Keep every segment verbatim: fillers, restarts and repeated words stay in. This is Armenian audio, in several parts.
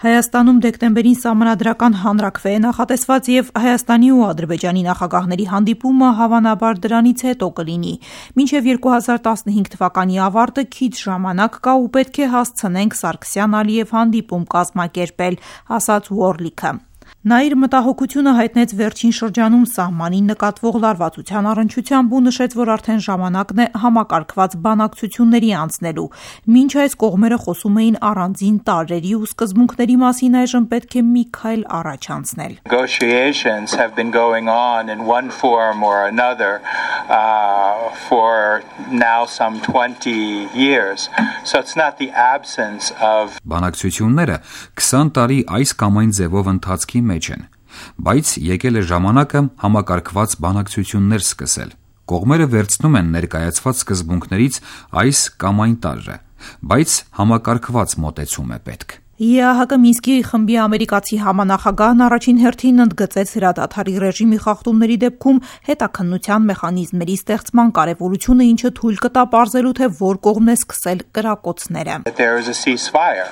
Հայաստանում դեկտեմբերին սահմանադրական հանրաքվե է նախատեսված և Հայաստանի ու Ադրբեջանի նախագահների հանդիպումը հավանաբար դրանից հետո կլինի։ Մինչև երկու հազար տասնհինգ թվականի ավարտը քիչ ժամանակ կա ու պետք է հասցնենք Սարգսյան-Ալիև հանդիպում կազմակերպել, ասաց Ուորլիքը։ Նա իր մտահոգությունը հայտնեց վերջին շրջանում սահմանին նկատվող լարվածության առնչությամբ ու նշեց, որ արդեն ժամանակն է համակարգված բանակցությունների անցնելու։ Մինչ այս կողմերը խոսում էին առանձին տարրերի ու սկզբունքների մասին, այժմ պետք է մի քայլ առաջ անցնել։ Negotiations have been going on in one form or another uh, for now some twenty years. So it's not the absence of Բանակցությունները քսան տարի այս կամ այն ձևով ընթացքի մեջ են, բայց եկել է ժամանակը համակարգված բանակցություններ սկսել։ Կողմերը վերցնում են ներկայացված սկզբունքներից այս կամ այն տարրը, բայց համակարգված մոտեցում է պետք։ ԵԱՀԿ Մինսկի խմբի ամերիկացի համանախագահն առաջին հերթին ընդգծեց հրադադարի ռեժիմի խախտումների դեպքում հետաքննության մեխանիզմների ստեղծման կարևորությունը, ինչը թույլ կտա պարզելու, թե որ կողմն է սկսել կրակոցները։ There is a ceasefire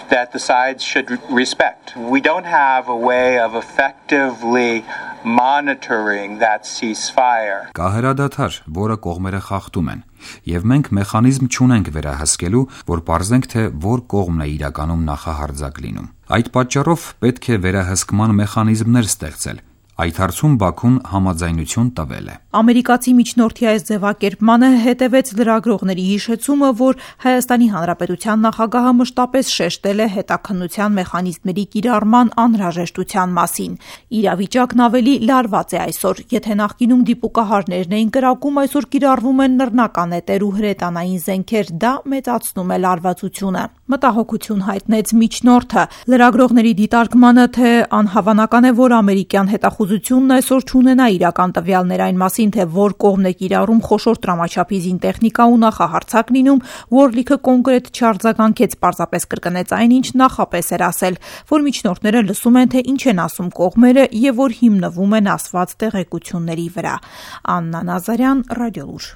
that the sides should respect. We don't have a way of effectively monitoring that ceasefire. Կա հրադադար, որը կողմերը խախտում են, եւ մենք մեխանիզմ չունենք վերահսկելու, որ պարզենք, թե որ կողմն է իրականում նախահարձակ լինում։ Այդ պատճառով պետք է վերահսկման մեխանիզմներ ստեղծել։ Այդ հարցում Բաքուն համաձայնություն տվել է։ Ամերիկացի միջնորդի այս ձևակերպմանը հետևեց լրագրողների հիշեցումը, որ Հայաստանի Հանրապետության նախագահը մշտապես շեշտել է հետաքննության մեխանիզմների կիրառման անհրաժեշտության մասին։ Իրավիճակն ավելի լարված է այսօր, եթե նախկինում դիպուկահարներն էին կրակում, այսօր կիրառվում են նռնականետեր ու հրետանային զենքեր, դա մեծացնում է լարվածությունը։ Մտահոգություն հայտնեց միջնորդը։ Լրագրողների դիտարկմանը, թե անհավանական է, որ ամերիկյան հետախուզությունն այսօր չունենա իրական տվյալներ այն մասին, թե որ կողմն է կիրառում խոշոր տրամաչափի զինտեխնիկա ու նախահարձակ լինում, Ուորլիքը կոնկրետ չարձագանքեց, պարզապես կրկնեց այն, ինչ նախապես էր ասել, որ միջնորդները լսում են, թե ինչ են ասում կողմերը եւ որ հիմնվում են ասված տեղեկությունների վրա։ Աննա Նազարյան, Ռադիոլուր։